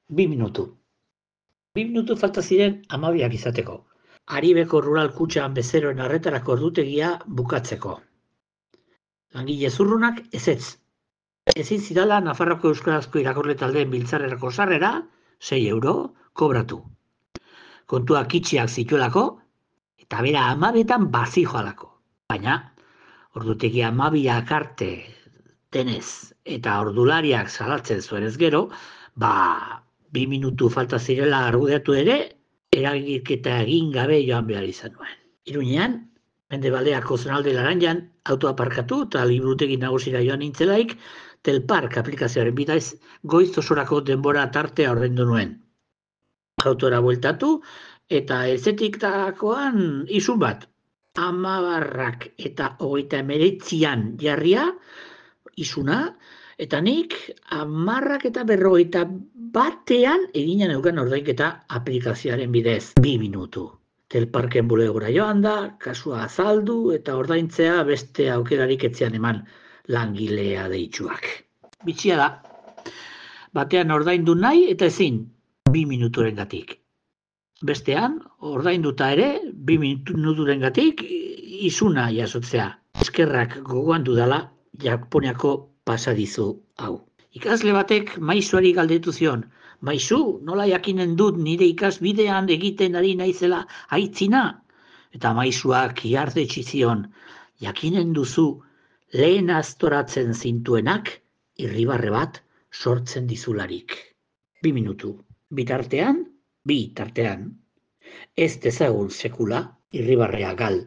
2 minutu. 2 minutu falta ziren 12 izateko. Aribeko Rural Kutxan bezeroen arretarako ordutegia bukatzeko. Langile zurrunak ezetz. Ezin zidala Nafarroko Euskarazko irakurle taldeen biltzarrerako sarrera, 6 euro, kobratu. Kontuak itxiak zituelako, eta bera 12etan bazijoalako. Baina, ordutegia 12ak arte denez eta ordulariak salatzen zuenez gero, 2 minutu falta zirela argudiatu ere, eragiketa egin gabe joan behar izan nuen. Iruñean, Mendebaldeako zonalde Laranjan, autoa parkatu eta liburutegi nagusira joan nintzelaik, Telpark aplikazioaren bidez goiz osorako denbora tartea ordaindu nuen. Autora bueltatu eta ezetik dakoan izun bat. 10 eta 39an jarria izuna, eta nik 10 eta 51 egina neukan ordainketa aplikazioaren bidez 2 minutu. Telparken bulegora joan da, kasua azaldu eta ordaintzea beste aukerarik etzean eman langilea deitsuak. Bitxia da, batean ordaindu nahi eta ezin 2 minuturengatik. Bestean, ordainduta ere, 2 minuturengatik izuna jasotzea. Eskerrak gogoan dudala Japoniako pasadizu hau. Ikasle batek maisuari galdetu zion, maisu, nola jakinen dut nire ikasbidean egiten ari naizela aitzina? Eta maisuak ihardetsi zion, jakinen duzu lehen aztoratzen zintuenak irribarre bat sortzen dizularik. 2 minutu. Bitartean, ez dezagun sekula irribarrea gal.